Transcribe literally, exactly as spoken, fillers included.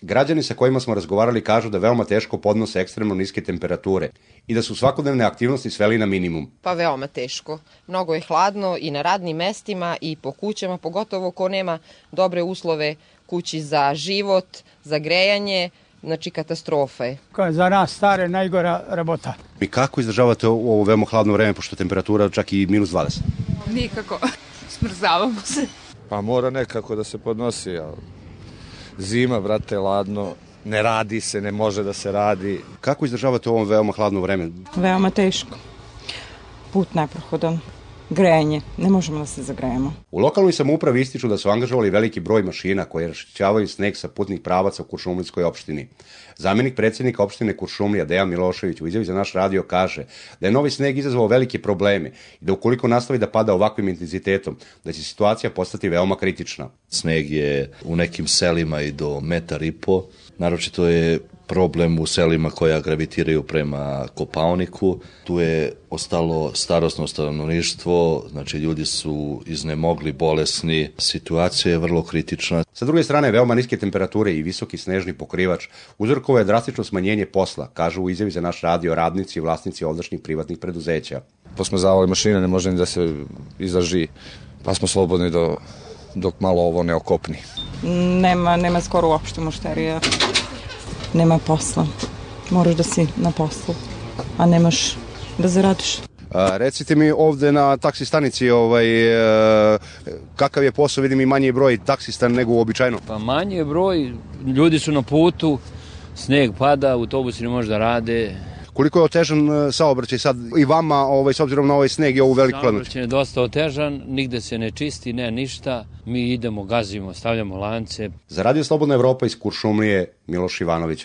Građani sa kojima smo razgovarali kažu da veoma teško podnose ekstremno niske temperature i da su svakodnevne aktivnosti sveli na minimum. Pa veoma teško. Mnogo je hladno i na radnim mestima i po kućama, pogotovo ko nema dobre uslove kući za život, za grejanje, znači katastrofa je. Za nas stare najgora rabota. I kako izdržavate ovo veoma hladno vreme, pošto temperatura čak i minus dvadeset? Nikako. Smrzavamo se. Pa mora nekako da se podnosi, ali zima, brate, ladno, ne radi se, ne može da se radi. Kako izdržavate ovo veoma hladno vreme? Veoma teško. Put neprohodan. Grejanje. Ne možemo da se zagrejemo. U lokalnoj samoupravi ističu da su angažovali veliki broj mašina koje raščišćavaju sneg sa putnih pravaca u Kuršumlijskoj opštini. Zamenik predsjednika opštine Kuršumlija Dejan Milošević u izjavi za naš radio kaže da je novi sneg izazvao velike probleme i da ukoliko nastavi da pada ovakvim intenzitetom, da će situacija postati veoma kritična. Sneg je u nekim selima i do metar i po. Naročito je problem u selima koja gravitiraju prema Kopaoniku. Tu je ostalo starosno stanovništvo, znači ljudi su iznemogli, bolesni. Situacija je vrlo kritična. Sa druge strane, veoma niske temperature i visoki snežni pokrivač uzrokovao je drastično smanjenje posla, kažu u izjavi za naš radio radnici i vlasnici ovdašnjih privatnih preduzeća. Posmrzavali mašine, ne može ni da se izdrži, pa smo slobodni do, dok malo ovo ne okopni. Nema, nema skoro uopšte mušterija. Nema posla. Moraš da si na poslu, a nemaš da zaradiš. A, recite mi ovde na taksi stanici ovaj, e, kakav je posao, vidim i manji broj taksista nego uobičajeno. Pa manji je broj, ljudi su na putu, sneg pada, autobusi ne može da rade. Koliko je otežan saobraćaj sad i vama ovaj, s obzirom na ovaj sneg i ovu veliku hladnoću? Saobraćaj je dosta otežan, nigde se ne čisti, ne ništa. Mi idemo, gazimo, stavljamo lance. Za Radio Slobodna Evropa iz Kuršumlije, Miloš Ivanović.